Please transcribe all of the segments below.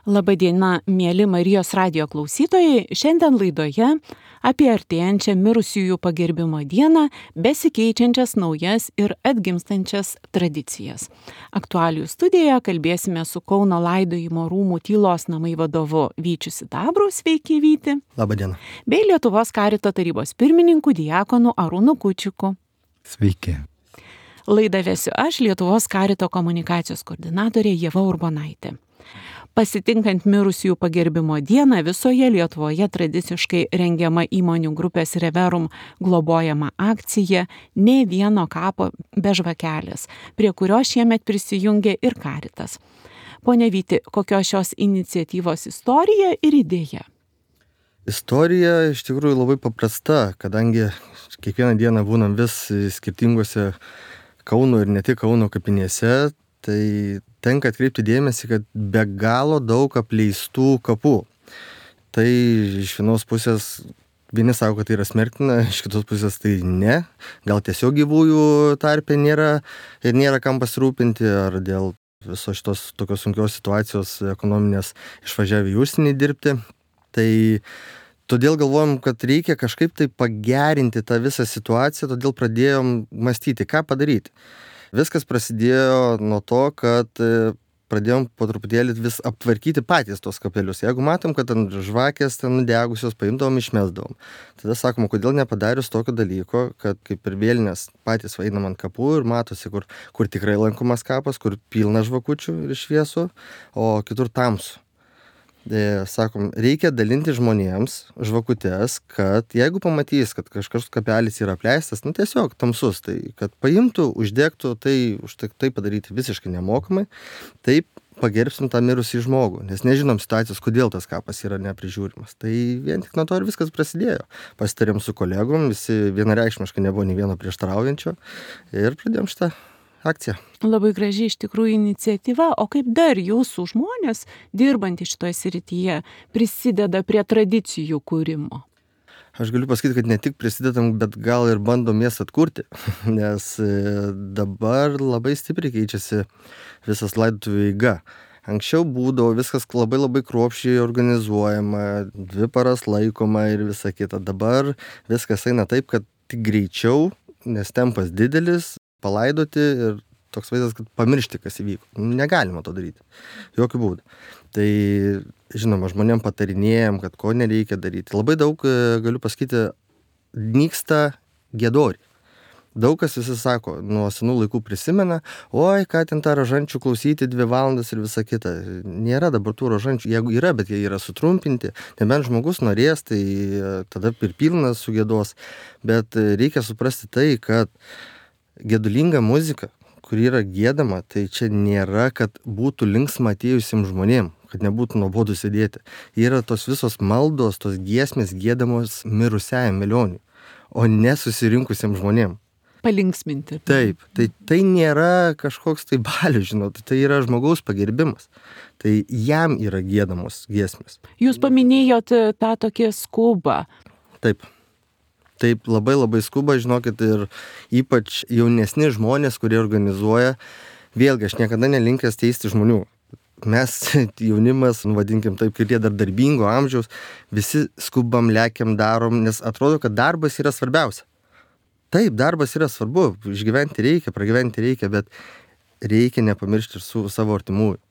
Labadiena, mėly Marijos radijo klausytojai. Šiandien laidoje apie artėjančią mirusiųjų pagerbimo dieną, besikeičiančias naujas ir atgimstančias tradicijas. Aktualijų studijoje kalbėsime su Kauno laidojimo rūmų tylos namai vadovu Vyčiu Sidabru, sveiki Vyti. Labadiena. Bei Lietuvos karito tarybos pirmininku diakonu Arūnu Kučiuku. Sveiki. Laidą vesiu aš, Lietuvos karito komunikacijos koordinatorė Ieva Urbonaitė. Pasitinkant mirusiųjų pagerbimo dieną visoje Lietuvoje tradiciškai rengiama įmonių grupės Reverum globojama akcija Nė vieno kapo be žvakelės, prie kurio šiemet prisijungė ir Karitas. Pone Vyti, kokios šios iniciatyvos istorija ir idėja? Istorija iš tikrųjų labai paprasta, kadangi kiekvieną dieną būnam vis skirtingose Kauno ir ne tik Kauno kapinėse, tai tenka atkreipti dėmesį, kad be galo daug apleistų kapų. Tai iš vienos pusės vieni sako, kad tai yra smerktina, iš kitos pusės tai ne. Gal tiesiog gyvųjų tarpe nėra kam pasirūpinti, ar dėl viso šitos tokios sunkios situacijos ekonominės išvažiavę į užsienį dirbti. Tai todėl galvojom, kad reikia kažkaip tai pagerinti tą visą situaciją, todėl pradėjom mąstyti, ką padaryti. Viskas prasidėjo nuo to, kad pradėjom po truputėlį vis aptvarkyti patys tos kapelius. Jeigu matom, kad ant žvakės ten nudegusios, paimdavom, išmesdavom. Tada sakom, kodėl nepadarius tokio dalyko, kad kaip ir vėlinės patys einam ant kapų ir matosi, kur tikrai lankomas kapas, kur pilna žvakučių ir šviesų, o kitur tamsu. Sakom, reikia dalinti žmonėms žvakutes, kad jeigu pamatys, kad kažkas kapelis yra apleistas, tiesiog tamsus, tai kad paimtų, uždegtų, tai už tai padaryti visiškai nemokamai, taip pagerbsim tą mirusį žmogų, nes nežinom situacijos, kodėl tas kapas yra neprižiūrimas. Tai vien tik nuo to ir viskas prasidėjo. Pasitarėm su kolegom, visi vienareikšmiškai nebuvo nei vieno prieštaraujančio ir pradėjom šitą akcija. Labai graži iš tikrųjų iniciatyva, o kaip dar jūsų žmonės, dirbantys šitoje srityje, prisideda prie tradicijų kūrimo? Aš galiu pasakyti, kad ne tik prisidedam, bet gal ir bandom jas atkurti, nes dabar labai stipriai keičiasi visas laidotuvių eiga. Anksčiau būdavo viskas labai kruopščiai organizuojama, 2 paras laikoma ir visa kita. Dabar viskas eina taip, kad tik greičiau, nes tempas didelis, palaidoti ir toks vaizdas, kad pamiršti, kas įvyko. Negalima to daryti. Jokių būdų. Tai, žinoma, žmonėm patarinėjom, kad ko nereikia daryti. Labai daug, galiu pasakyti, nyksta giedoriai. Daug kas visi sako, nuo senų laikų prisimena, oi, ką ten tą rožančių klausyti 2 valandas ir visa kita. Nėra dabar tų rožančių, jeigu yra, bet jie yra sutrumpinti. Nebent žmogus norės, tai tada ir pilnas sugiedos. Bet reikia suprasti tai, kad gedulinga muzika, kur yra giedama, tai čia nėra, kad būtų linksma atėjusiems žmonėm, kad nebūtų nuobodu sėdėti. Yra tos visos maldos, tos giesmės giedamos mirusiajam velioniui, o ne susirinkusiems žmonėm. Palinksminti. Taip, tai nėra kažkoks tai balius, žinot, tai yra žmogaus pagerbimas. Tai jam yra giedamos giesmės. Jūs paminėjot tą tokį skubą. Taip, labai skuba, žinokit, ir ypač jaunesni žmonės, kurie organizuoja. Vėlgi, aš niekada nelinkęs teisti žmonių. Mes, jaunimas, vadinkim taip, kurie dar darbingo amžiaus, visi skubam, lekiam, darom, nes atrodo, kad darbas yra svarbiausia. Taip, darbas yra svarbu, išgyventi reikia, pragyventi reikia, bet reikia nepamiršti ir su savo artimųjų.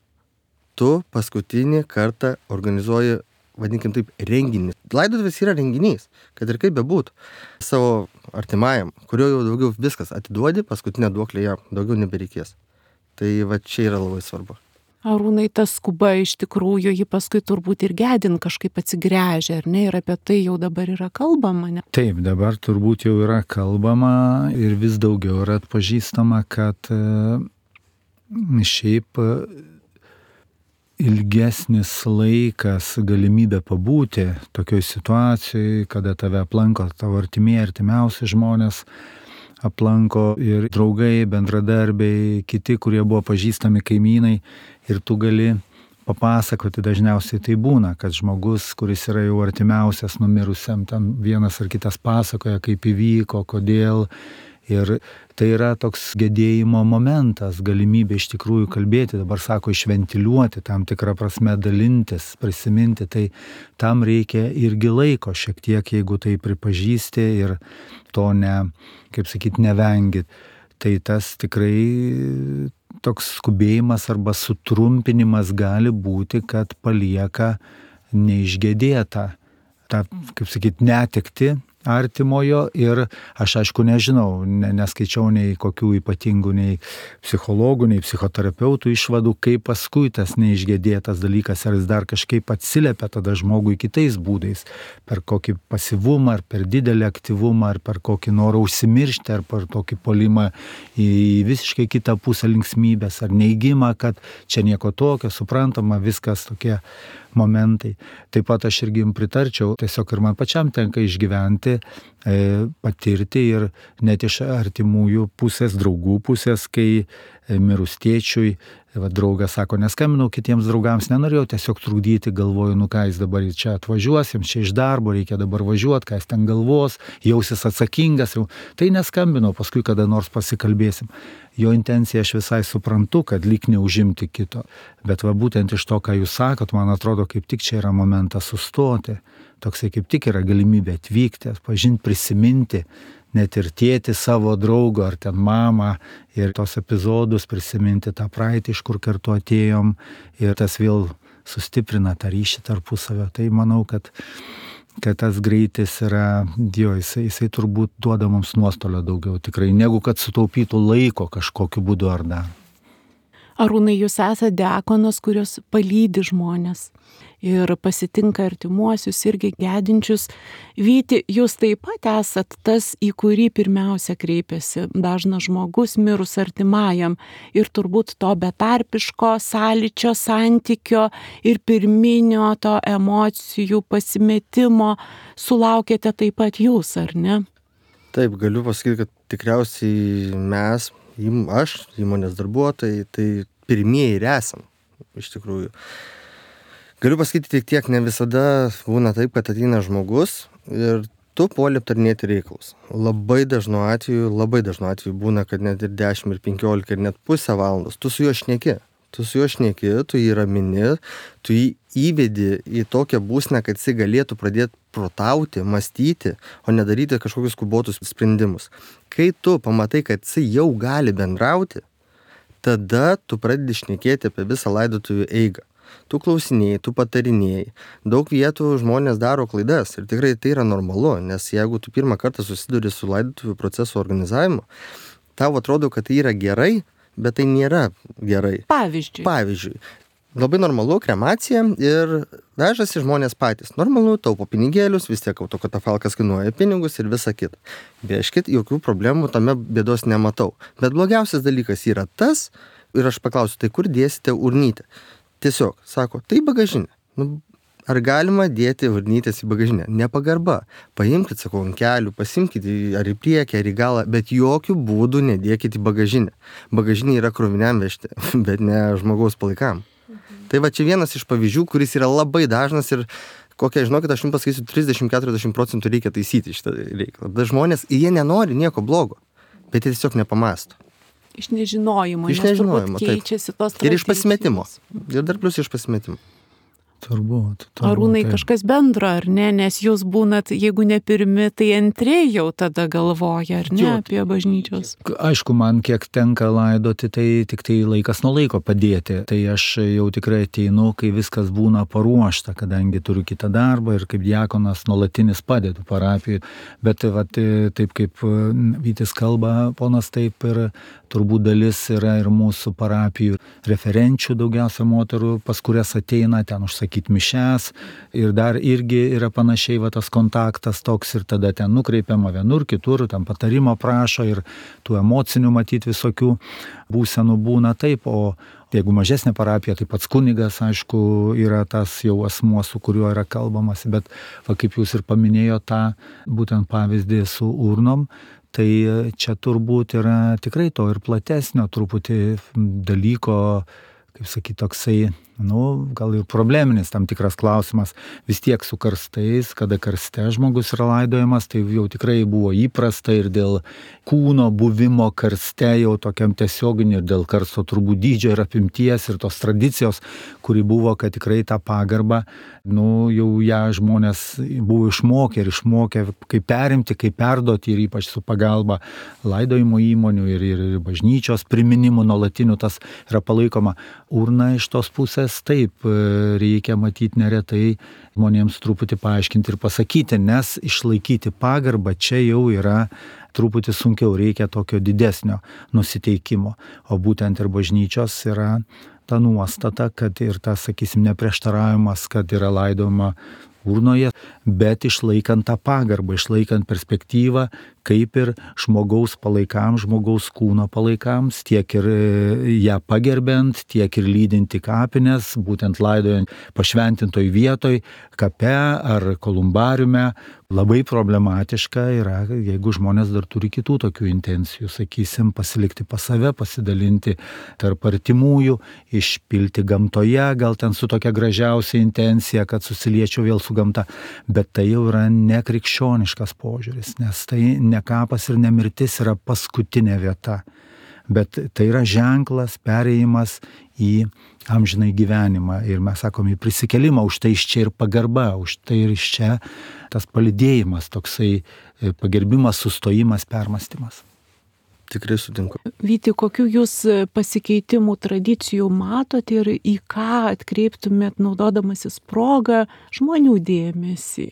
Tu paskutinį kartą organizuoji, vadinkim taip, renginį. Laidotuvės yra renginys, kad ir kaip bebūtų. Savo artimajam, kurio jau daugiau viskas atiduodi, paskutinę duoklę jam daugiau nebereikės. Tai va čia yra labai svarbu. Arūnai, ta skuba iš tikrųjų, ji paskui turbūt ir gedin kažkaip atsigręžia, ar ne? Ir apie tai jau dabar yra kalbama, ne? Taip, dabar turbūt jau yra kalbama ir vis daugiau yra atpažįstama, kad šiaip ilgesnis laikas, galimybė pabūti tokioj situacijai, kada tave aplanko tavo artimiausi žmonės, aplanko ir draugai, bendradarbiai, kiti, kurie buvo pažįstami kaimynai, ir tu gali papasakoti, dažniausiai tai būna, kad žmogus, kuris yra jau artimiausias numirusiam, ten vienas ar kitas pasakoja, kaip įvyko, kodėl, Ir tai yra toks gedėjimo momentas, galimybė iš tikrųjų kalbėti, dabar sako, išventiliuoti, tam tikrą prasme dalintis, prisiminti, tai tam reikia irgi laiko šiek tiek, jeigu tai pripažįsti ir to nevengit. Tai tas tikrai toks skubėjimas arba sutrumpinimas gali būti, kad palieka neišgedėtą tą, netekti artimojo ir aš aišku nežinau, neskaičiau nei kokių ypatingų nei psichologų, nei psichoterapeutų išvadų, kaip paskui tas neišgedėtas dalykas, ar jis dar kažkaip atsiliepia tada žmogui kitais būdais, per kokį pasyvumą, ar per didelį aktyvumą, ar per kokį norą užsimiršti, ar per tokį polimą į visiškai kitą pusę linksmybės, ar neigimą, kad čia nieko tokio, suprantama, viskas tokie momentai. Taip pat aš irgi jums pritarčiau, tiesiog ir man pačiam tenka išgyventi, patirti ir net iš artimųjų pusės, draugų pusės, kai mirus tėčiui, draugas sako, neskambinau kitiems draugams, nenorėjau tiesiog trukdyti, galvoju, ką jis dabar čia atvažiuos, jiems čia iš darbo, reikia dabar važiuoti, ką jis ten galvos, jausis atsakingas, tai neskambinau, paskui kada nors pasikalbėsim. Jo intencija aš visai suprantu, kad lyg neužimti kito, bet būtent iš to, ką jūs sakot, man atrodo, kaip tik čia yra momentas sustoti, toksai kaip tik yra galimybė atvykti, pažinti, prisiminti, net ir tėti savo draugo ar ten mamą ir tos epizodus prisiminti, tą praeitį, iš kur kartu atėjom ir tas vėl sustiprina tą ryšį tarpusavio. Tai manau, kad tas greitis yra, jisai turbūt duoda mums nuostolio daugiau tikrai, negu kad sutaupytų laiko kažkokiu būdu ar dar. Arūnai, jūs esate diakonas, kurios palydi žmonės ir pasitinka artimuosius irgi gedinčius. Vyti, jūs taip pat esat tas, į kurį pirmiausia kreipiasi dažnas žmogus mirus artimajam ir turbūt to betarpiško sąlyčio, santykio ir pirminio to emocijų pasimetimo sulaukėte taip pat jūs, ar ne? Taip, galiu pasakyti, kad tikriausiai mes, aš, įmonės darbuotojai, tai pirmieji ir esam, iš tikrųjų. Galiu pasakyti tiek, ne visada būna taip, kad ateina žmogus ir tu puoli aptarinėti reikalus. Labai dažnu atveju būna, kad net ir 10 ir 15 ir net pusę valandos tu su juo šneki. Tu jį ramini, tu jį įvedi į tokią būseną, kad jis galėtų pradėti protauti, mąstyti, o nedaryti kažkokius skubotus sprendimus. Kai tu pamatai, kad jis jau gali bendrauti, tada tu pradedi šnekėti apie visą laidotuvių eigą. Tu klausinėjai, tu patarinėjai. Daug vietų žmonės daro klaidas ir tikrai tai yra normalu, nes jeigu tu pirmą kartą susiduri su laidotuvių proceso organizavimu, tau atrodo, kad tai yra gerai, bet tai nėra gerai. Pavyzdžiui, labai normalu kremacija ir vežasi žmonės patys. Normalu, taupo pinigėlius, vis tiek autokatafalkas kainuoja pinigus ir visa kita. Bieškit, jokių problemų tame bėdos nematau. Bet blogiausias dalykas yra tas, ir aš paklausiu, tai kur dėsite urnytę? Tiesiog, sako, tai bagažinė. Ar galima dėti urnytės į bagažinę? Nepagarba. Paimkit, sakau, ant kelių, pasimkit ar į priekį, ar į galą, bet jokių būdų nedėkit į bagažinę. Bagažinė yra kroviniam vežti, bet ne žmogaus palaikam. Tai čia vienas iš pavyzdžių, kuris yra labai dažnas ir kokia, žinokit, aš jums pasakysiu, 30-40% reikia taisyti šitą reikalą. Bet žmonės, jie nenori nieko blogo, bet jie tiesiog nepamąsto. Iš nežinojimo, turbūt keičiasi tos tradicijos. Ir iš pasimetimo. Ir dar plus iš pasimetimo. Turbūt. Arūnai, kažkas bendro, ar ne? Nes jūs būnat, jeigu ne pirmi, tai antri jau tada galvoja, ar ne, apie bažnyčios? Aišku, man kiek tenka laidoti, tai tik tai laikas nuo laiko padėti. Tai aš jau tikrai ateinu, kai viskas būna paruošta, kadangi turiu kitą darbą ir kaip diakonas nuolatinis padedu parapijai. Bet taip kaip Vytis kalba, ponas, taip ir turbūt dalis yra ir mūsų parapijų referenčių, daugiausia moterų, pas kurias ateina ten užsakyti mišes ir dar irgi yra panašiai tas kontaktas toks ir tada ten nukreipiama vienur, kitur, ten patarimo prašo ir tų emocinių matyti visokių būsenų būna taip, o jeigu mažesnė parapija, tai pats kunigas, aišku, yra tas jau asmuo, su kuriuo yra kalbamas, bet kaip jūs ir paminėjote tą būtent pavyzdį su urnom, tai čia turbūt yra tikrai to ir platesnio truputį dalyko, kaip sakyti, toksai, gal ir probleminis tam tikras klausimas. Vis tiek su karstais, kada karste žmogus yra laidojamas, tai jau tikrai buvo įprasta ir dėl kūno buvimo karste jau tokiam tiesioginiu, ir dėl karsto turbūt dydžio ir apimties ir tos tradicijos, kuri buvo, kad tikrai tą pagarbą, jau ją žmonės buvo išmokę, kaip perimti, kaip perduoti ir ypač su pagalba laidojimo įmonių ir bažnyčios priminimų nuolatinių tas yra palaikoma. Urna iš tos pusės taip reikia matyti neretai žmonėms truputį paaiškinti ir pasakyti, nes išlaikyti pagarbą čia jau yra truputį sunkiau, reikia tokio didesnio nusiteikimo. O būtent ir bažnyčios yra ta nuostata, kad ir tas, sakysim, neprieštaravimas, kad yra laidojama urnoje, bet išlaikant tą pagarbą, išlaikant perspektyvą, kaip ir žmogaus palaikams, žmogaus kūno palaikams, tiek ir ją pagerbiant, tiek ir lydinti kapines, būtent laidojant pašventintoj vietoj, kape ar kolumbariume. Labai problematiška yra, jeigu žmonės dar turi kitų tokių intencijų, sakysim, pasilikti pas save, pasidalinti tarp artimųjų, išpilti gamtoje, gal ten su tokia gražiausia intencija, kad susiliečiau vėl su gamta, bet tai jau yra nekrikščioniškas požiūris, nes tai ne kapas ir ne mirtis yra paskutinė vieta, bet tai yra ženklas, perėjimas į amžinai gyvenimą ir mes sakome į prisikėlimą, už tai iš čia ir pagarba, už tai ir iš čia tas palydėjimas, toksai pagerbimas, sustojimas, permąstymas. Tikrai sutinku. Vyti, kokių jūs pasikeitimų tradicijų matot ir į ką atkreiptumėt, naudodamasis progą, žmonių dėmesį?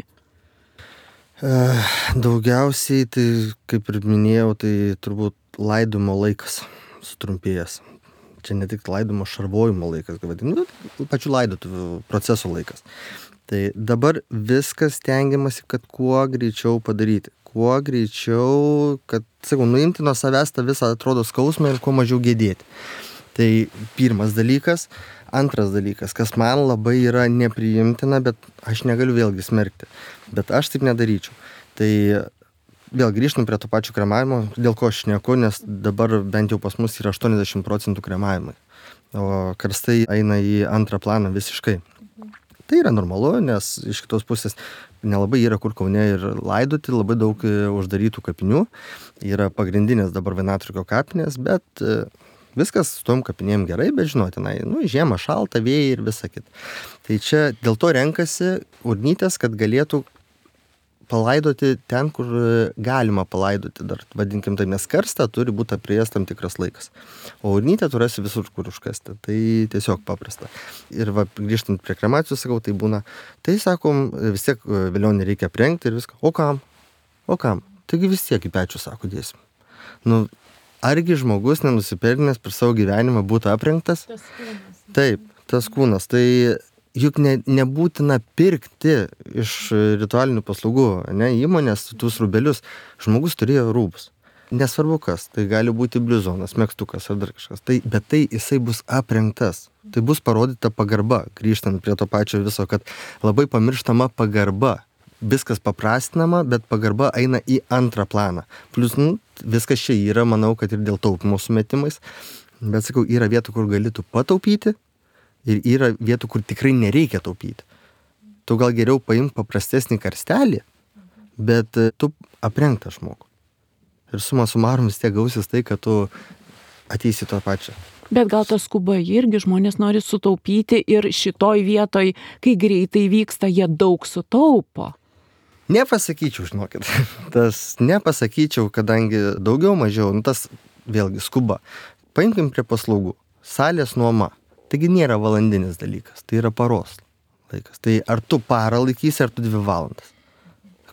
Daugiausiai, tai kaip ir minėjau, tai turbūt laidojimo laikas sutrumpėjęs. Čia ne tik laidojimo šarvojimo laikas, pačių laidotuvių proceso laikas. Tai dabar viskas stengiamasi, kad kuo greičiau padaryti. Kuo greičiau, kad, nuimti nuo savęs tą visą atrodo skausmą ir kuo mažiau gedėti. Tai pirmas dalykas. Antras dalykas, kas man labai yra nepriimtina, bet aš negaliu vėlgi smerkti. Bet aš taip nedaryčiau. Tai vėl grįžtam prie to pačio kremavimo, dėl ko aš šneku, nes dabar bent jau pas mus yra 80% kremavimai. O karstai eina į antrą planą visiškai. Tai yra normalu, nes iš kitos pusės nelabai yra kur Kaune ir laidoti, labai daug uždarytų kapinių. Yra pagrindinės dabar Vainatrukio kapinės, bet viskas su tom kapinėm gerai, bet žinotinai, žiemą šalta, vėjai ir visa kita. Tai čia dėl to renkasi urnytės, kad galėtų palaidoti ten, kur galima palaidoti, dar vadinkim tai, nes karstą turi būti aprėjęs tam tikras laikas. O urnytę turėsi visur, kur užkasti. Tai tiesiog paprasta. Ir grįžtant prie kremacijos, sakau, tai būna, tai sakom, vis tiek vėliau nereikia aprengti ir viską. O kam? Taigi vis tiek į pečių, sako, dėsim. Argi žmogus nenusipelnęs per savo gyvenimą būtų aprengtas? Tas kūnas. Taip, tas kūnas. Tai juk nebūtina pirkti iš ritualinių paslaugų, įmonės tus rūbelius. Žmogus turėjo rūbus. Nesvarbu kas, tai gali būti bliuzonas, megztukas ar dar kažkas. Bet tai jisai bus aprengtas. Tai bus parodyta pagarba, grįžtant prie to pačio viso, kad labai pamirštama pagarba. Viskas paprastinama, bet pagarba eina į antrą planą. Plus, viskas čia yra, manau, kad ir dėl taupimo sumetimais. Bet sakau, yra vietų, kur gali tu pataupyti ir yra vietų, kur tikrai nereikia taupyti. Tu gal geriau paimk paprastesnį karstelį, bet tu aprengtą žmogų. Ir suma sumarum vis tiek gausis tai, kad tu ateisi to pačią. Bet gal tas skuba irgi žmonės nori sutaupyti ir šitoj vietoj, kai greitai vyksta, jie daug sutaupo. Nepasakyčiau, žinokit. Tas nepasakyčiau, kadangi daugiau mažiau, tas vėlgi skuba. Paimkim prie paslaugų. Salės nuoma. Taigi nėra valandinis dalykas, tai yra paros laikas. Tai ar tu parą laikysi, ar tu 2 valandas.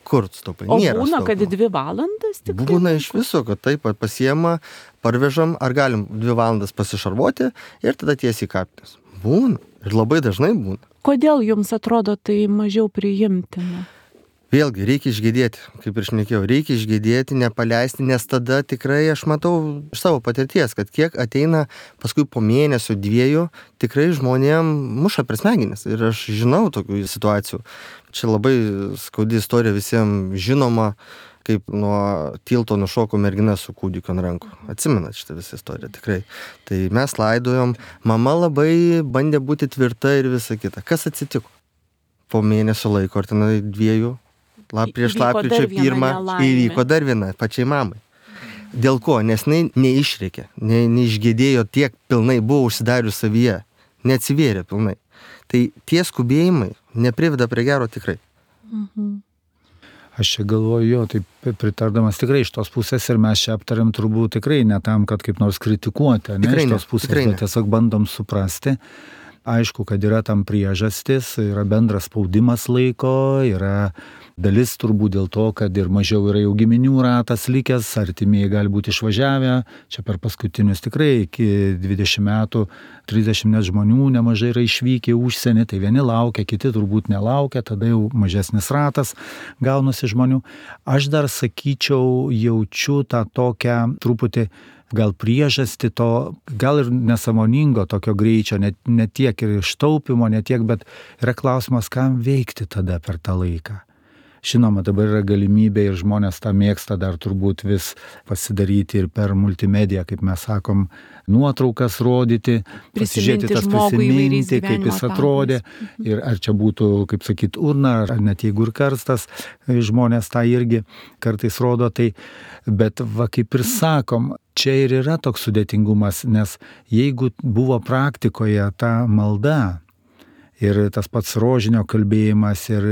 Kur tu taupai? O būna, kad 2 valandas tik? Būna iš viso, kad taip pasiema, parvežam, ar galim 2 valandas pasišarvuoti ir tada tiesiai į kapines. Būna. Ir labai dažnai būna. Kodėl jums atrodo tai mažiau priimtina? Vėlgi, reikia išgėdėti, kaip ir šnekėjau, reikia išgėdėti, nepaleisti, nes tada tikrai aš matau iš savo patirties, kad kiek ateina paskui po mėnesio 2, tikrai žmonėm muša per smegenis. Ir aš žinau tokių situacijų. Čia labai skaudi istorija visiems žinoma. kaip nuo tilto nušoko mergina su kūdikiu ant rankų. Atsimenat šitą visą istoriją, tikrai. Tai mes laidojom, mama labai bandė būti tvirta ir visa kita. Kas atsitiko? Po mėnesio laiko, ar tenai 2, prieš lapkričio 1, įvyko dar viena pačiai mamai. Dėl ko? Nes neišrėkė, neišgėdėjo tiek pilnai, buvo užsidarius savyje, neatsivėrė pilnai. Tai tie skubėjimai nepriveda prie gero tikrai. Aš čia galvoju, taip pritardamas tikrai iš tos pusės ir mes čia aptariam turbūt tikrai ne tam, kad kaip nors kritikuoti, ne iš tos pusės, bet tiesiog bandom suprasti. Aišku, kad yra tam priežastis, yra bendras spaudimas laiko, yra dalis turbūt dėl to, kad ir mažiau yra jau giminių ratas likęs, artimieji gali būti išvažiavę, čia per paskutinius tikrai iki 20 metų 30 net žmonių nemažai yra išvykę į užsienį, tai vieni laukia, kiti turbūt nelaukia, tada jau mažesnis ratas gaunasi žmonių. Aš dar sakyčiau, jaučiu tą tokią truputį gal priežastį to, gal ir nesąmoningo tokio greičio, ne tiek ir ištaupimo, ne tiek, bet yra klausimas, kam veikti tada per tą laiką. Žinoma, dabar yra galimybė ir žmonės tą mėgsta dar turbūt vis pasidaryti ir per multimediją, kaip mes sakom, nuotraukas rodyti, pasižiūrėti tas prisiminti, kaip jis atrodė. Ir ar čia būtų, kaip sakyt, urna, ar net jeigu ir karstas, žmonės tą irgi kartais rodo. Tai, bet va, kaip ir sakom, čia ir yra toks sudėtingumas, nes jeigu buvo praktikoje ta malda, ir tas pats rožinio kalbėjimas, ir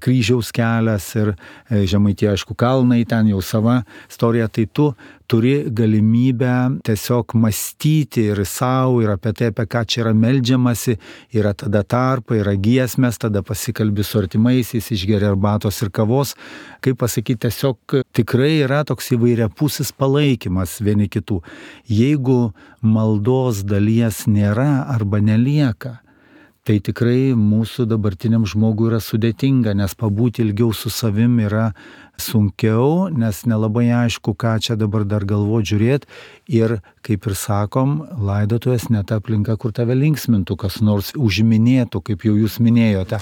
kryžiaus kelias, ir Žemaitija, aišku, kalnai, ten jau sava istorija, tai tu turi galimybę tiesiog mąstyti ir savo, ir apie tai, apie ką čia yra meldžiamasi, yra tada tarpai, yra giesmės, tada pasikalbi su artimaisiais, išgeri arbatos ir kavos. Kaip pasakyti, tiesiog tikrai yra toks įvairiapusis palaikymas vieni kitų. Jeigu maldos dalies nėra arba nelieka, tai tikrai mūsų dabartiniam žmogui yra sudėtinga, nes pabūti ilgiau su savim yra sunkiau, nes nelabai aišku, ką čia dabar dar galvoti, žiūrėti. Ir, kaip ir sakom, laidotuvės ne ta aplinka, kur tave linksmintų, kas nors užminėtų, kaip jau jūs minėjote.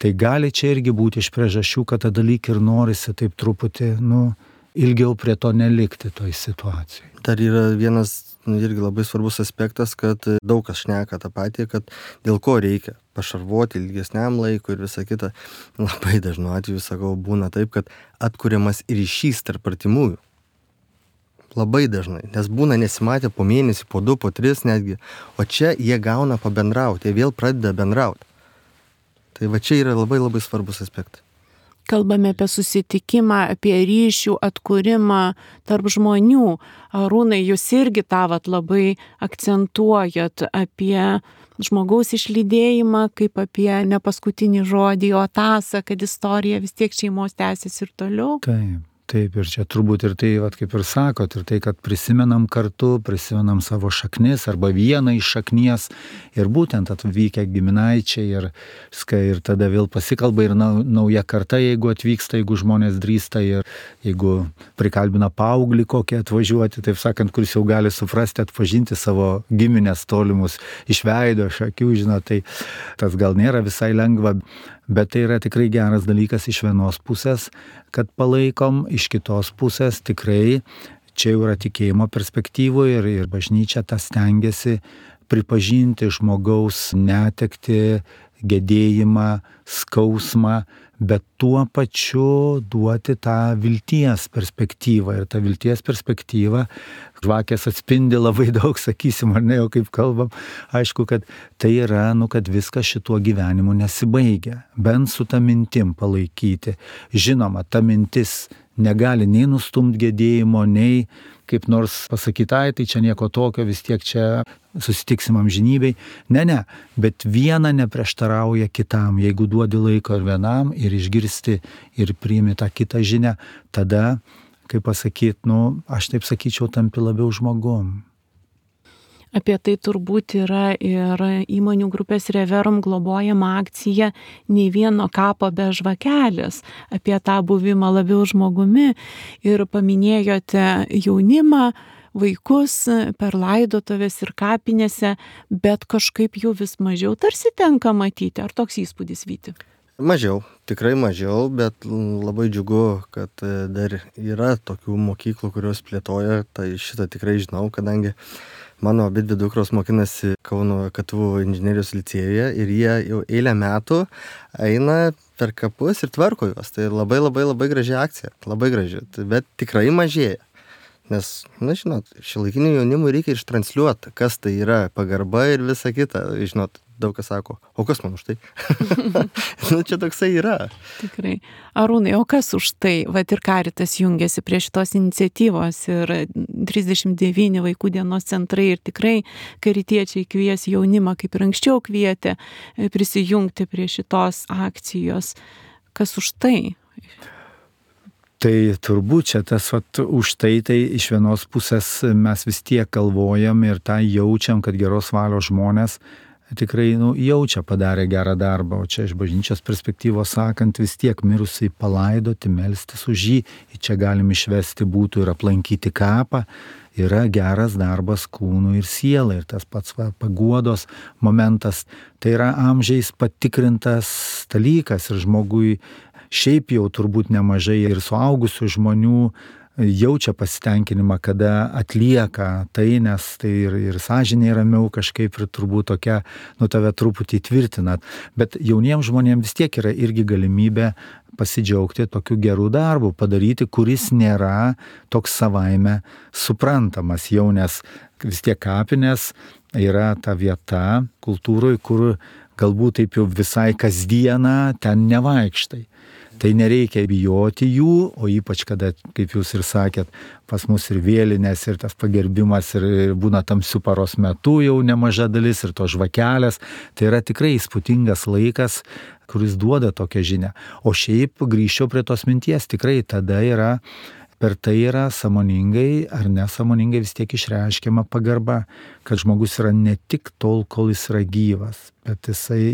Tai gali čia irgi būti iš priežasčių, kad tada lyg ir norisi taip truputį, ilgiau prie to nelikti toj situacijai. Dar yra vienas irgi labai svarbus aspektas, kad daug kas šneka tą patį, kad dėl ko reikia pašarvoti ilgesniam laikui ir visa kita. Labai dažnu atveju, sakau, būna taip, kad atkuriamas ryšys tarp artimųjų. Labai dažnai, nes būna nesimatę po mėnesį, po 2, po 3 netgi, o čia jie gauna pabendrauti, jie vėl pradeda bendrauti. Tai va čia yra labai labai svarbus aspektas. Kalbame apie susitikimą, apie ryšių atkūrimą tarp žmonių. Arūnai, jūs irgi tą labai akcentuojat apie žmogaus išlydėjimą, kaip apie ne paskutinį žodį, o tąsą, kad istorija vis tiek šeimos tęsis ir toliau. Taip, ir čia turbūt ir tai, kaip ir sakot, ir tai, kad prisimenam kartu, prisimenam savo šaknis arba vieną iš šaknies ir būtent atvykę giminaičiai ir tada vėl pasikalba ir nauja karta, jeigu atvyksta, jeigu žmonės drįsta ir jeigu prikalbina paauglį kokį atvažiuoti, taip sakant, kuris jau gali suprasti, atpažinti savo giminės tolimus iš veido, iš akių, žinot, tai tas gal nėra visai lengva. Bet tai yra tikrai geras dalykas iš vienos pusės, kad palaikom, iš kitos pusės tikrai čia jau yra tikėjimo perspektyvų ir bažnyčia tą stengiasi pripažinti žmogaus netektį, gedėjimą, skausmą, bet tuo pačiu duoti tą vilties perspektyvą. Ir ta vilties perspektyva, žvakės atspindi labai daug, sakysim, ar ne, jau kaip kalbam, aišku, kad tai yra, kad viskas šituo gyvenimu nesibaigia. Bent su ta mintim palaikyti. Žinoma, ta mintis negali nei nustumti gedėjimo, nei kaip nors pasakyti, tai čia nieko tokio, vis tiek čia susitiksim amžinybei. Ne, bet viena neprieštarauja kitam. Jeigu duodi laiko ir vienam, ir išgirsti, ir priimi tą kitą žinią, tada, kaip pasakyti, aš taip sakyčiau, tampi labiau žmogum. Apie tai turbūt yra ir įmonių grupės Reverum globojama akcija Nei vieno kapo be žvakelės, apie tą buvimą labiau žmogumi. Ir paminėjote jaunimą, vaikus per laidotuvės ir kapinėse, bet kažkaip jų vis mažiau tarsi tenka matyti. Ar toks įspūdis, Vyti? Mažiau, tikrai mažiau, bet labai džiugu, kad dar yra tokių mokyklų, kurios plėtoja, tai šitą tikrai žinau, kadangi mano abidvi dukros mokinasi Kauno KTU inžinerijos licėjuje ir jie jau eilę metų eina per kapus ir tvarko juos. Tai labai graži akcija, labai graži, bet tikrai mažėja. Nes, na žinot, šiuolaikiniu jaunimui reikia ištransliuoti, kas tai yra pagarba ir visa kita. Žinot, daug kas sako, o kas man už tai? Nu, čia toksai yra. Tikrai. Arūnai, o kas už tai? Vat ir Caritas jungiasi prie šitos iniciatyvos ir 39 vaikų dienos centrai ir tikrai karitiečiai kvies jaunimą, kaip ir anksčiau kvietė, prisijungti prie šitos akcijos. Kas už tai? Tai turbūt čia tas už tai iš vienos pusės mes vis tiek galvojam ir tą jaučiam, kad geros valios žmonės tikrai jaučia padarė gerą darbą, o čia iš bažnyčios perspektyvos sakant vis tiek mirusiai palaidoti, melstis už jį, čia galim išvesti būtų ir aplankyti kapą, yra geras darbas kūnui ir sielai ir tas pats paguodos momentas, tai yra amžiais patikrintas dalykas ir žmogui šiaip jau turbūt nemažai ir suaugusių žmonių jaučia pasitenkinimą, kada atlieka tai, nes tai ir sąžinė ramiau kažkaip ir turbūt tokia, tave truputį tvirtina. Bet jauniems žmonėms vis tiek yra irgi galimybė pasidžiaugti tokiu gerų darbų padaryti, kuris nėra toks savaime suprantamas jau, nes vis tiek kapinės yra ta vieta kultūroje, kur galbūt taip jau visai kasdieną ten nevaikštai. Tai nereikia bijoti jų, o ypač kada, kaip jūs ir sakėt, pas mus ir vėlinės, ir tas pagerbimas, ir būna tamsių paros metu jau nemaža dalis, ir to žvakelės. Tai yra tikrai įspūdingas laikas, kuris duoda tokią žinią. O šiaip grįžčiau prie tos minties, tikrai tada yra, per tai yra sąmoningai ar nesąmoningai vis tiek išreiškiama pagarba, kad žmogus yra ne tik tol, kol jis yra gyvas, bet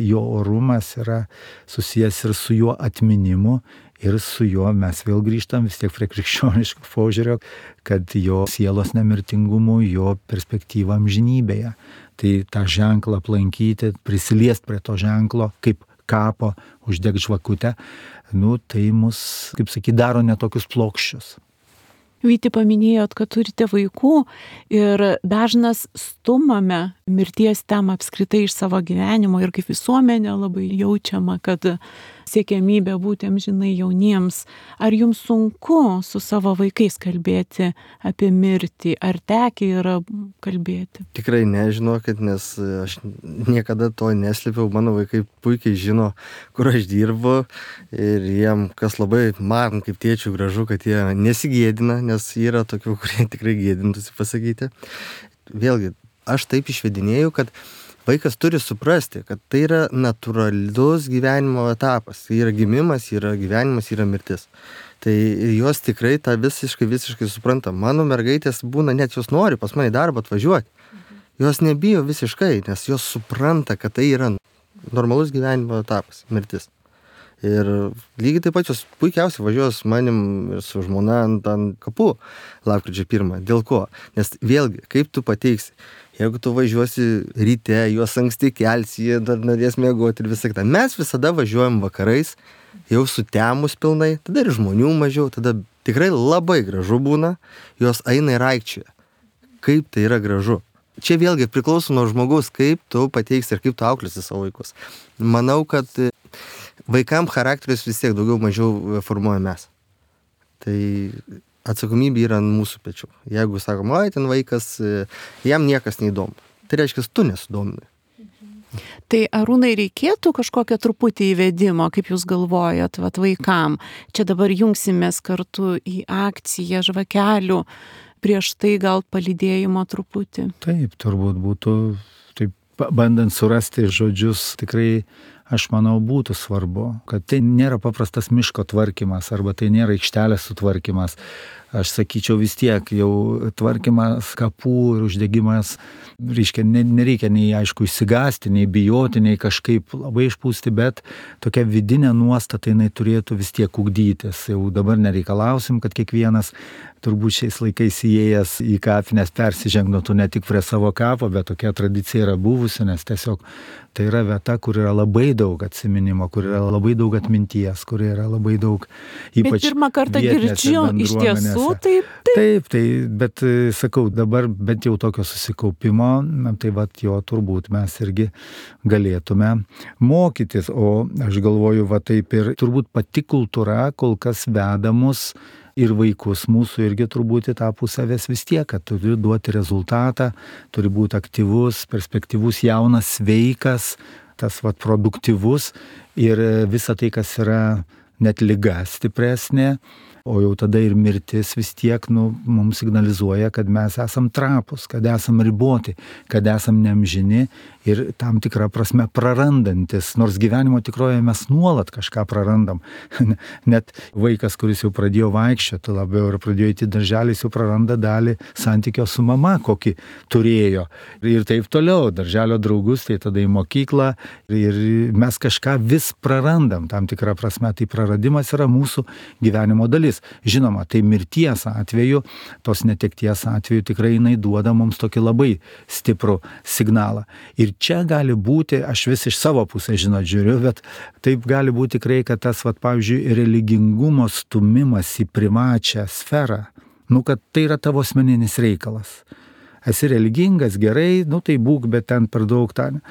jo orumas yra susijęs ir su juo atminimu ir su juo mes vėl grįžtam vis tiek prie krikščioniško požiūrio, kad jo sielos nemirtingumu, jo perspektyva amžinybėje. Tai tą ženklą aplankyti, prisiliest prie to ženklo, kaip kapo uždeg žvakutę, tai mus, kaip sakyt, daro netokius plokščius. Vyti, paminėjot, kad turite vaikų ir dažnas stumame mirties temą apskritai iš savo gyvenimo ir kaip visuomenė labai jaučiama, kad siekiamybė būti amžinai jauniems. Ar jums sunku su savo vaikais kalbėti apie mirtį? Ar tekę yra kalbėti? Tikrai nežinokit, nes aš niekada to neslėpiau. Mano vaikai puikiai žino, kur aš dirbu ir jiem, kas labai man kaip tėčių gražu, kad jie nesigėdina, nes yra tokių, kurie tikrai gėdintųsi pasakyti. Vėlgi, aš taip išvedinėjau, kad vaikas turi suprasti, kad tai yra natūralus gyvenimo etapas. Tai yra gimimas, yra gyvenimas, yra mirtis. Tai jos tikrai tą visiškai supranta. Mano mergaitės būna, net jos nori pas mane į darbą atvažiuoti. Jos nebijo visiškai, nes jos supranta, kad tai yra normalus gyvenimo etapas, mirtis. Ir lygiai taip pat jos puikiausiai važiuoja su manim ir su žmona ant kapų lapkričio 1. Dėl ko? Nes vėlgi, kaip tu pateiksi, jeigu tu važiuosi ryte, juos anksti kelsi, jie dar norės miegoti ir visą kitą. Mes visada važiuojam vakarais, jau sutemus pilnai, tada ir žmonių mažiau, tada tikrai labai gražu būna, jos eina ir aikčioja. Kaip tai yra gražu. Čia vėlgi priklauso nuo žmogaus, kaip tu pateiksi ir kaip tu auklėsi savo vaikus. Manau, kad vaikam charakteris vis tiek daugiau mažiau formuoja mes. Tai atsakomybė yra ant mūsų pečių. Jeigu sakom, ten vaikas, jam niekas neįdomu. Tai reiškia, tu nesudomini. Tai Arūnai, reikėtų kažkokio truputį įvedimo, kaip jūs galvojat, vaikam. Čia dabar jungsimės kartu į akciją žvakelių, prieš tai gal palydėjimo truputį. Taip, turbūt būtų, taip, bandant surasti žodžius, tikrai aš manau būtų svarbu, kad tai nėra paprastas miško tvarkymas arba tai nėra aikštelės sutvarkymas. aš sakyčiau vis tiek jau tvarkymas kapų ir uždegimas, reiškia, nereikia nei aišku išsigąsti, nei bijoti, nei kažkaip labai išpūsti, bet tokia vidinė nuostata jinai turėtų vis tiek ugdytis. Jau dabar nereikalausim, kad kiekvienas turbūt šiais laikais įėjęs į kapines persižengnotų ne tik prie savo kapo, bet tokia tradicija yra buvusi, nes tiesiog tai yra vieta, kur yra labai daug atsiminimo, kur yra labai daug atminties, kur yra labai daug ypač Bet pirmą kartą girdžiu, iš tiesų, taip, bet sakau, dabar bent jau tokio susikaupimo, tai vat jo turbūt mes irgi galėtume mokytis, o aš galvoju, va taip ir turbūt pati kultūra kol kas veda mus ir vaikus mūsų irgi turbūt į tą pusę ves vis tiek, kad turi duoti rezultatą, turi būti aktyvus, perspektyvus, jaunas, sveikas, tas vat produktyvus ir visa tai, kas yra net liga stipresnė, o jau tada ir mirtis vis tiek mums signalizuoja, kad mes esam trapus, kad esam riboti, kad esam neamžini ir tam tikrą prasme prarandantis, nors gyvenimo tikroje mes nuolat kažką prarandam. Net vaikas, kuris jau pradėjo vaikščioti labiau ir pradėjo įti darželį, jau praranda dalį santykio su mama, kokį turėjo. Ir taip toliau, darželio draugus, tai tada į mokyklą ir mes kažką vis prarandam, tam tikrą prasme, tai praradimas yra mūsų gyvenimo dalis. Žinoma, tai mirties atveju, tos netekties atveju tikrai jinai duoda mums tokį labai stiprų signalą. Ir čia gali būti, aš vis iš savo pusės žiūriu, bet taip gali būti tikrai, kad tas, pavyzdžiui, religingumo stumimas į privačią sferą, kad tai yra tavo asmeninis reikalas. Esi religingas, gerai, tai būk, bet ten per daug ten.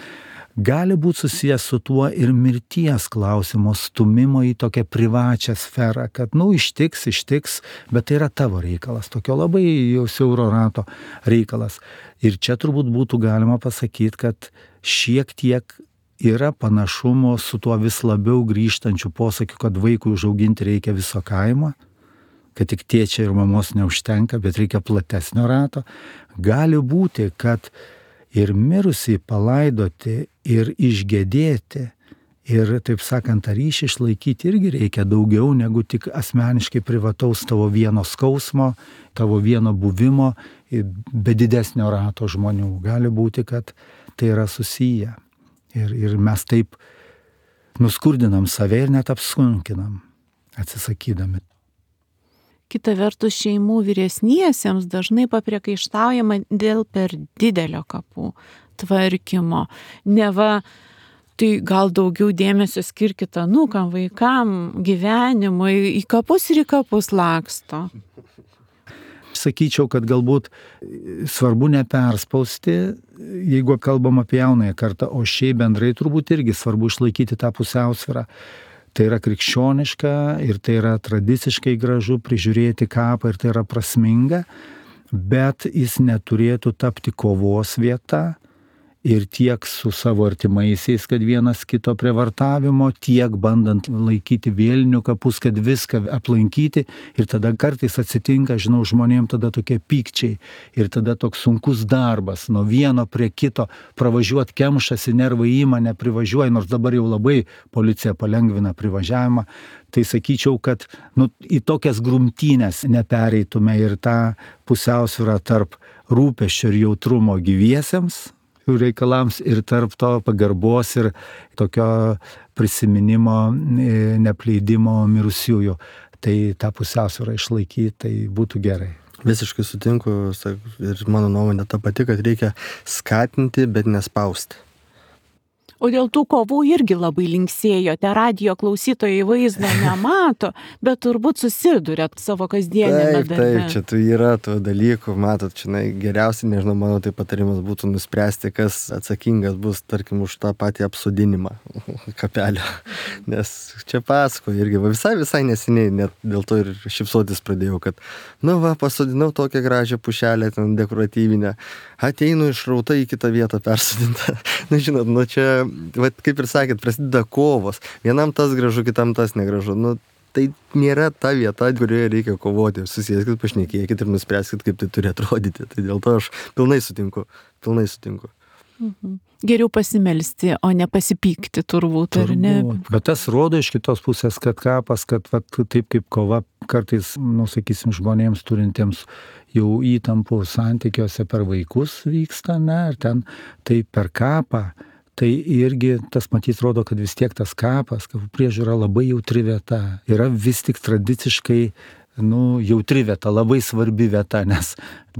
Gali būti susijęs su tuo ir mirties klausimo stumimo į tokią privačią sferą, kad, ištiks, bet tai yra tavo reikalas, tokio labai jau siauro rato reikalas. Ir čia turbūt būtų galima pasakyti, kad šiek tiek yra panašumo su tuo vis labiau grįžtančiu posakiu, kad vaikui užauginti reikia viso kaimo, kad tik tėčia ir mamos neužtenka, bet reikia platesnio rato. Gali būti, kad ir mirusį palaidoti, ir išgedėti, ir, taip sakant, tą ryšį išlaikyti irgi reikia daugiau negu tik asmeniškai privataus tavo vieno skausmo, tavo vieno buvimo, be didesnio rato žmonių. Gali būti, kad tai yra susiję. Ir mes taip nuskurdinam save ir net apsunkinam, atsisakydami. Kita vertus, šeimų vyresniesiems dažnai papriekaištaujama dėl per didelio kapų tvarkymo. Neva, tai gal daugiau dėmesio skirkit anūkam, vaikam, gyvenimui, į kapus ir į kapus laksto. Sakyčiau, kad galbūt svarbu neperspausti, jeigu kalbam apie jaunąją kartą, o šiaip bendrai turbūt irgi svarbu išlaikyti tą pusiausvyrą. Tai yra krikščioniška ir tai yra tradiciškai gražu prižiūrėti kapą ir tai yra prasminga, bet jis neturėtų tapti kovos vieta ir tiek su savo artimaisiais, kad vienas kito prievartavimo, tiek bandant laikyti vėlinių kapus, kad viską aplankyti ir tada kartais atsitinka, žmonėm tada tokie pykčiai ir tada toks sunkus darbas, nuo vieno prie kito pravažiuoti kemšasi, nervai įmane privažiuoja, nors dabar jau labai policija palengvina privažiavimą, tai sakyčiau, kad į tokias grumtynės nepereitume ir tą pusiausvyrą tarp rūpesčio ir jautrumo gyviesiems reikalams ir tarp to pagarbos ir tokio prisiminimo, neapleidimo mirusiųjų. Tai tą pusiausvyrą išlaikyti, tai būtų gerai. Visiškai sutinku ir mano nuomonė ta pati, kad reikia skatinti, bet nespausti. O dėl tų kovų irgi labai linksėjote, radijo klausytojai vaizdo nemato, bet turbūt susidurėt savo kasdienėme darbe. Taip, čia tai yra tų dalykų, matot, čia geriausiai, nežinau, mano tai patarimas būtų nuspręsti, kas atsakingas bus, tarkim, už tą patį apsodinimą kapelio. Nes čia pasakoju irgi, visai neseniai, net dėl to ir šypsotis pradėjau, kad, pasodinau tokią gražią pušelę, ten dekoratyvinę, ateinu išrauta į kitą vietą persodintą. Žinot, čia kaip ir sakėt, prasideda kovos. Vienam tas gražu, kitam tas negražu. Tai nėra ta vieta, kurioje reikia kovoti. Susėskit, pašnekėkit ir nuspręskit, kaip tai turi atrodyti. Tai dėl to aš pilnai sutinku. Geriau pasimelsti, o ne pasipykti turbūt, ar ne? Bet tas rodo iš kitos pusės, kad kapas, kad taip kaip kova kartais, sakysim, žmonėms turintiems jau įtampų santykiuose per vaikus vyksta, ne, ir ten tai per kapą, tai irgi tas matyt rodo, kad vis tiek tas kapas, kapų priežiūra labai jautri vieta, yra vis tik tradiciškai jautri vieta, labai svarbi vieta, nes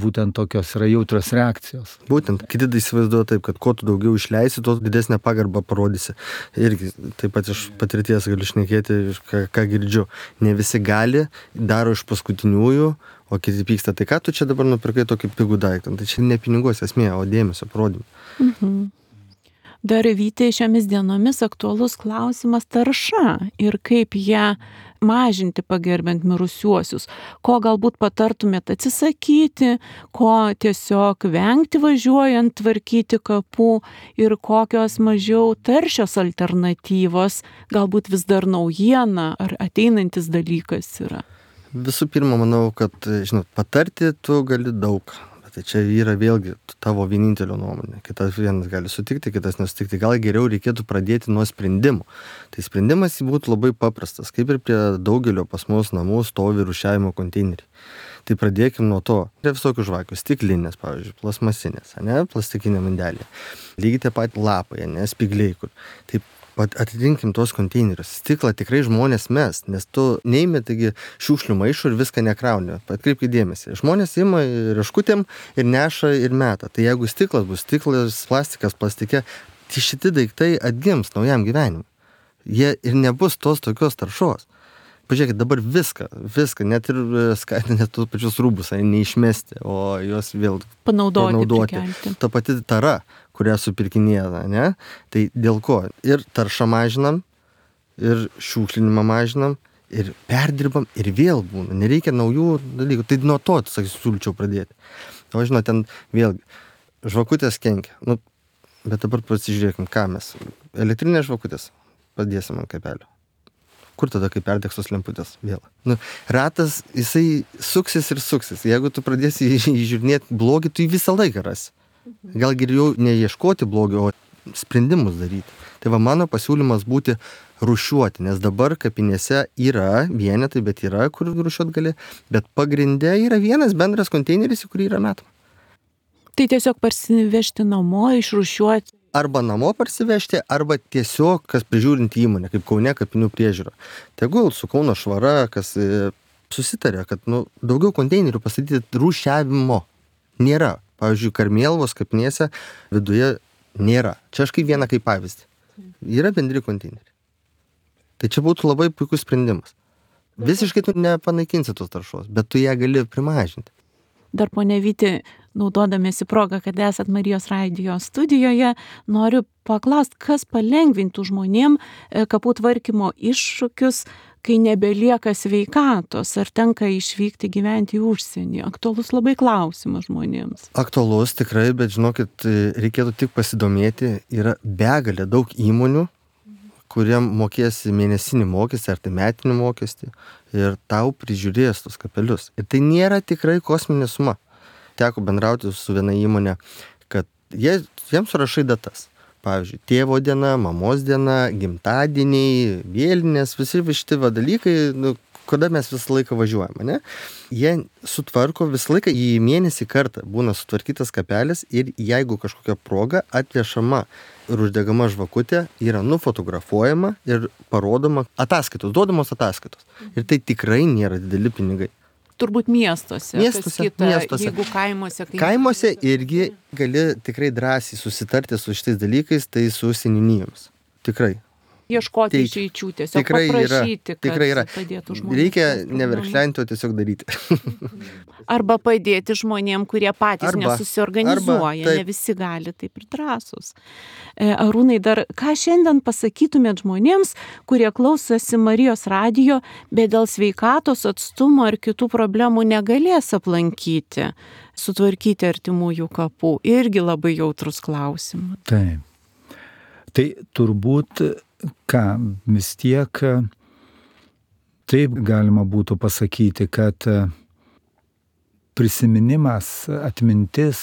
būtent tokios yra jautrios reakcijos. Būtent, kiti įsivaizduoja taip, kad kuo tu daugiau išleisi, tuo didesnę pagarbą parodysi. Irgi taip pat iš patirties galiu šnekėti, ką girdžiu. Ne visi gali, daro iš paskutiniųjų, o kiti pyksta. Tai ką tu čia dabar nupirkai tokį pigų daiktą? Tai čia ne pinigos esmė, o dėmesio parodymą. Dar Vytė, šiomis dienomis aktualus klausimas tarša ir kaip ją mažinti pagerbent mirusiuosius, ko galbūt patartumėt atsisakyti, ko tiesiog vengti važiuojant tvarkyti kapų ir kokios mažiau taršios alternatyvos, galbūt vis dar naujiena ar ateinantis dalykas yra. Visų pirma, manau, kad, patarti tu gali daug. Tai čia yra vėlgi tavo vienintelio nuomonė. Kitas vienas gali sutikti, kitas nesutikti. Gal geriau reikėtų pradėti nuo sprendimų. Tai sprendimas būtų labai paprastas. Kaip ir prie daugelio pas mus namų stovi rūšiavimo konteineriai. Tai pradėkim nuo to. Yra visokių žvakių. Stiklinės, pavyzdžiui, plasmasinės, plastikinė mandelė. Lygiai tie pat lapai, spigliai, kur. Taip. Atitinkim tuos konteinerius. Stiklą tikrai žmonės mes, nes tu neimi taigi šiukšlių maišų ir viską nekrauni. Atkreipkite dėmesį. Žmonės ima rieškutėm ir neša ir meta. Tai jeigu stiklas bus stiklas, plastikas plastike, tai šitie daiktai atgims naujam gyvenimui. Jie ir nebus tos tokios taršos. Pažiūrėkit, dabar viską, net ir skatina net tos pačius rūbus, neišmesti, o juos vėl panaudoti. Ta pati tara, kurią supirkinėja, ne? Tai dėl ko? Ir taršą mažinam, ir šiukšlinimą mažinam, ir perdirbam, ir vėl būna. Nereikia naujų dalykų. Tai nuo to, siūlyčiau pradėti. O ten vėlgi, žvakutės kenkia. Bet dabar pasižiūrėkim, ką mes. Elektrinės žvakutės padėsim ant kapelio. Kur tada, kai perdegs tos lemputės vėl? Ratas, jisai suksis ir suksis. Jeigu tu pradėsi įžiūrinėti blogį, tu jį visą laiką rasi. Gal geriau neieškoti blogio, o sprendimus daryti. Tai mano pasiūlymas būti rūšiuoti, nes dabar kapinėse yra vienetai, bet yra, kur rūšiuoti gali, bet pagrinde yra vienas bendras konteineris, į kurį yra metama. Tai tiesiog parsivežti namo, išrūšiuoti. Arba namo parsivežti, arba tiesiog, kas prižiūrinti įmonę, kaip Kaune kapinių priežiūra. Tegul su Kauno švara, kas susitarė, kad daugiau konteinerių pastatyti rūšiavimo nėra. Pavyzdžiui, Karmėlavos kapinėse viduje nėra. Čia aš kaip vieną kaip pavyzdį. Yra bendri konteineriai. Tai čia būtų labai puikus sprendimas. Visiškai tu nepanaikinsi tos taršos, bet tu ją gali primažinti. Dar ponia Vytė, naudodamiesi progą, kad esat Marijos radijo studijoje, noriu paklausti, kas palengvintų žmonėm kapų tvarkymo iššūkius, kai nebelieka sveikatos, ar tenka išvykti gyventi į užsienį. Aktualus labai klausimas žmonėms. Aktualus tikrai, bet žinokit, reikėtų tik pasidomėti, yra begalė daug įmonių, kuriem mokėsi mėnesinį mokestį ar tai metinį mokestį ir tau prižiūrės tos kapelius. Ir tai nėra tikrai kosminė suma. Teko bendrauti su viena įmonė, kad jiems surašai datas. Pavyzdžiui, tėvo diena, mamos diena, gimtadieniai, vėlinės, visi šitie dalykai, kada mes visą laiką važiuojame, ne? Jie sutvarko visą laiką į mėnesį kartą, būna sutvarkytas kapelis ir jeigu kažkokia proga atvežama ir uždegama žvakutė, yra nufotografuojama ir parodoma ataskaitos, duodamos ataskaitos. Ir tai tikrai nėra dideli pinigai. Turbūt miestuose. Jeigu kaimuose. Kaimuose irgi gali tikrai drąsiai susitarti su šitais dalykais, tai su seniūnijomis. Tikrai. Ieškoti išeičių, tiesiog paprašyti, kad padėtų žmonėms. Reikia neverkšlenti, o tiesiog daryti. Arba padėti žmonėm, kurie patys nesusiorganizuoja, ne visi gali taip ir drąsus. Arūnai, dar ką šiandien pasakytumėt žmonėms, kurie klausosi Marijos radijo, bet dėl sveikatos, atstumo ar kitų problemų negalės aplankyti, sutvarkyti artimųjų kapų? Irgi labai jautrus klausimas. Taip. Tai turbūt vis tiek taip galima būtų pasakyti, kad prisiminimas, atmintis,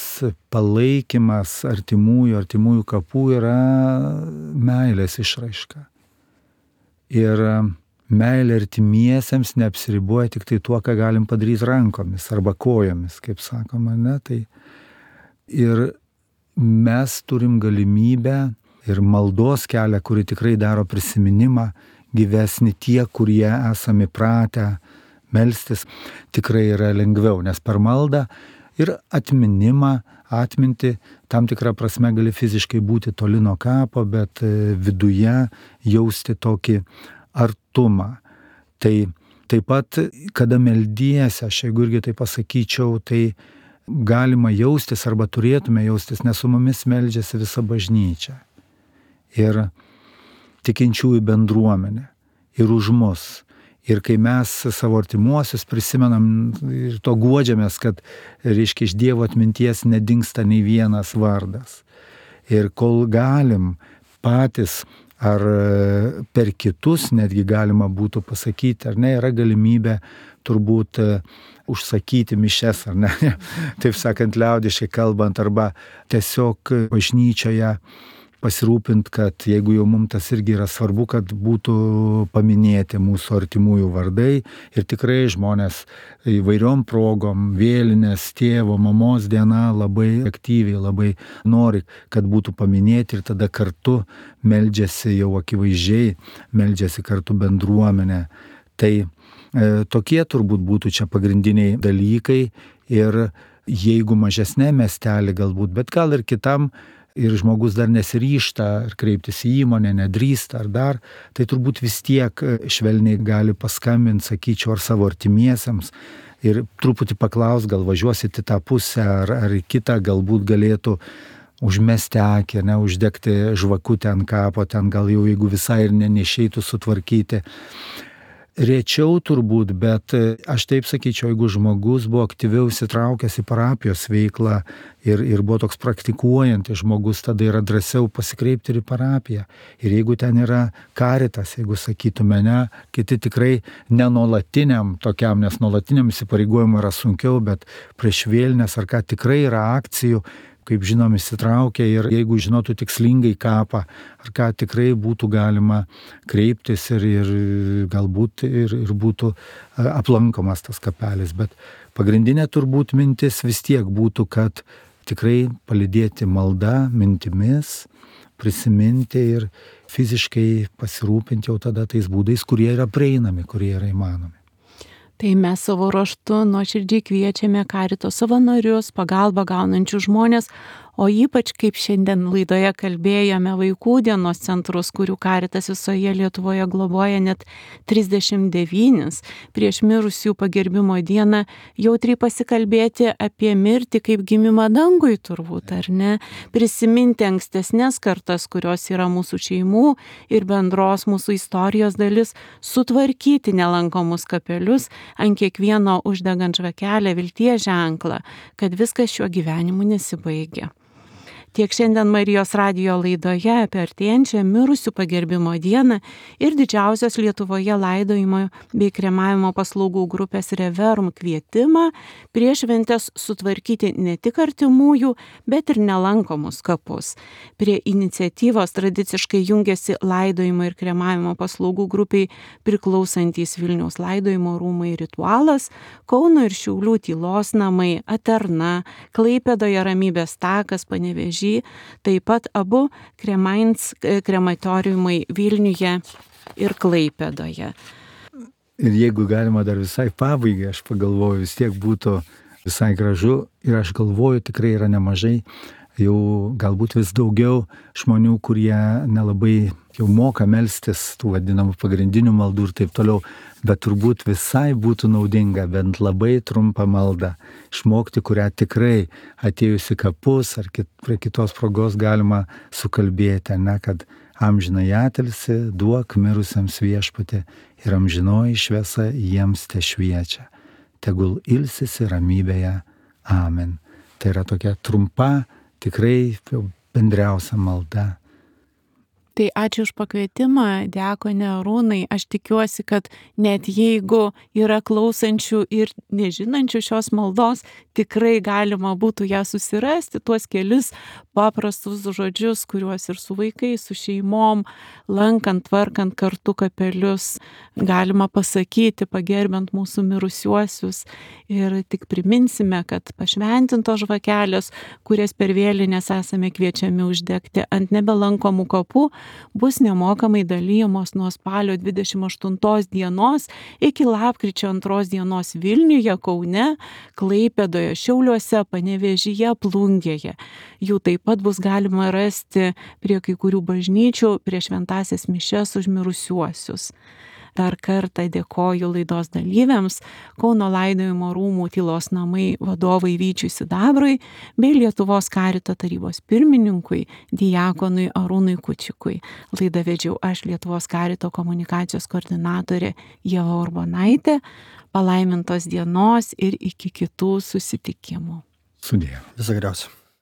palaikymas artimųjų kapų yra meilės išraiška. Ir meilė artimiesiems neapsiriboja tik tai tuo, ką galim padaryti rankomis arba kojomis, kaip sakoma, ne? Tai ir mes turim galimybę ir maldos kelią, kuri tikrai daro prisiminimą gyvesnį tie, kurie esame pratę melstis, tikrai yra lengviau, nes per maldą ir atminimą, atminti, tam tikrą prasme gali fiziškai būti toli nuo kapo, bet viduje jausti tokį artumą. Tai taip pat, kada meldiesi, aš jeigu irgi tai pasakyčiau, tai galima jaustis arba turėtume jaustis, nes su mumis meldžiasi visa bažnyčia. Ir tikinčiųjų bendruomenė. Ir už mus. Ir kai mes savo artimuosius prisimenam ir to guodžiamės, kad, reiškia, iš Dievo atminties nedingsta nei vienas vardas. Ir kol galim patys ar per kitus netgi galima būtų pasakyti, ar ne, yra galimybė turbūt užsakyti mišias, ar ne, taip sakant, liaudiškai kalbant, arba tiesiog bažnyčioje pasirūpint, kad jeigu jau mums tas irgi yra svarbu, kad būtų paminėti mūsų artimųjų vardai ir tikrai žmonės įvairiom progom, vėlinės, tėvo, mamos diena labai aktyviai, labai nori, kad būtų paminėti ir tada kartu meldžiasi jau akivaizdžiai, meldžiasi kartu bendruomenė. Tai tokie turbūt būtų čia pagrindiniai dalykai ir jeigu mažesnė miestelė galbūt, bet gal ir kitam, ir žmogus dar nesiryžta ar kreiptis į įmonę, nedrįsta ar dar, tai turbūt vis tiek švelniai gali paskambinti, sakyčiau, ar savo artimiesiems ir truputį paklaus, gal važiuosit į tą pusę ar į kitą, galbūt galėtų užmesti akį, ne, uždegti žvakutę ant kapo, ten gal jau jeigu visai ir neišeitų sutvarkyti. Rečiau turbūt, bet aš taip sakyčiau, jeigu žmogus buvo aktyviau įsitraukęs į parapijos veiklą ir buvo toks praktikuojantis žmogus, tada yra drąsiau pasikreipti ir į parapiją. Ir jeigu ten yra karitas, jeigu sakytume, ne, kiti tikrai nenuolatiniam tokiam, nes nuolatiniam įsipareigojimui yra sunkiau, bet prieš vėlines ar ką tikrai yra akcijų, kaip žinom, įsitraukia ir jeigu žinotų tikslingai kapą, ar ką tikrai būtų galima kreiptis ir galbūt ir būtų aplankomas tas kapelis. Bet pagrindinė turbūt mintis vis tiek būtų, kad tikrai palydėti malda, mintimis, prisiminti ir fiziškai pasirūpinti jau tada tais būdais, kurie yra prieinami, kurie yra įmanomi. Tai mes savo ruožtu nuoširdžiai kviečiame karito savanorius, pagalbą gaunančius žmonės, o ypač, kaip šiandien laidoje kalbėjome, vaikų dienos centrus, kurių karitas visoje Lietuvoje globoja net 39, prieš mirusių pagerbimo dieną jautriai pasikalbėti apie mirtį kaip gimimą dangui turbūt, ar ne? Prisiminti ankstesnės kartas, kurios yra mūsų šeimų ir bendros mūsų istorijos dalis, sutvarkyti nelankomus kapelius, ant kiekvieno uždegant žvakelę vilties ženklą, kad viskas šiuo gyvenimu nesibaigia. Tiek šiandien Marijos radijo laidoje apie artėjančią mirusių pagerbimo dieną ir didžiausios Lietuvoje laidojimo bei kremavimo paslaugų grupės Reverum kvietimą prieš šventes sutvarkyti ne tik artimųjų, bet ir nelankomus kapus. Prie iniciatyvos tradiciškai jungiasi laidojimo ir kremavimo paslaugų grupiai priklausantys Vilniaus laidojimo rūmai Ritualas, Kauno ir Šiaulių tylos namai, Aterna, Klaipėdoje Ramybės takas, Panevėžys, taip pat abu krematoriumai Vilniuje ir Klaipėdoje. Ir jeigu galima dar visai pabaigai, aš pagalvoju, vis tiek būtų visai gražu ir aš galvoju, tikrai yra nemažai, jau galbūt vis daugiau žmonių, kurie nelabai jau moka melstis tų vadinamų pagrindinių maldų ir taip toliau, bet turbūt visai būtų naudinga bent labai trumpą maldą išmokti, kurią tikrai atėjus į kapus ar prie kitos progos galima sukalbėti, ne, kad amžinai atilsi, duok mirusiems Viešpatie ir amžinoji šviesa jiems te šviečia. Tegul ilsisi ramybėje. Amen. Tai yra tokia trumpa, tikrai bendriausia malda. Tai ačiū už pakvietimą, diakone Arūnai. Aš tikiuosi, kad net jeigu yra klausančių ir nežinančių šios maldos, tikrai galima būtų ją susirasti, tuos kelis paprastus žodžius, kuriuos ir su vaikais, su šeimom, lankant, tvarkant kartu kapelius, galima pasakyti, pagerbiant mūsų mirusiuosius. Ir tik priminsime, kad pašventintos žvakelės, kurias per vėlines esame kviečiami uždegti ant nebelankomų kapų, bus nemokamai dalyjamos nuo spalio 28 dienos iki lapkričio 2 dienos Vilniuje, Kaune, Klaipėdoje, Šiauliuose, Panevėžyje, Plungėje. Jų taip pat bus galima rasti prie kai kurių bažnyčių prie šventąsias mišias už mirusiuosius. Dar kartą dėkoju laidos dalyviams, Kauno laidojimo rūmų Tylos namai vadovui Vyčiui Sidabrui bei Lietuvos karito tarybos pirmininkui diakonui Arūnui Kučikui. Laidą vedžiau aš, Lietuvos karito komunikacijos koordinatorė Ieva Urbonaitė. Palaimintos dienos ir iki kitų susitikimų. Sudie. Viso geriausio.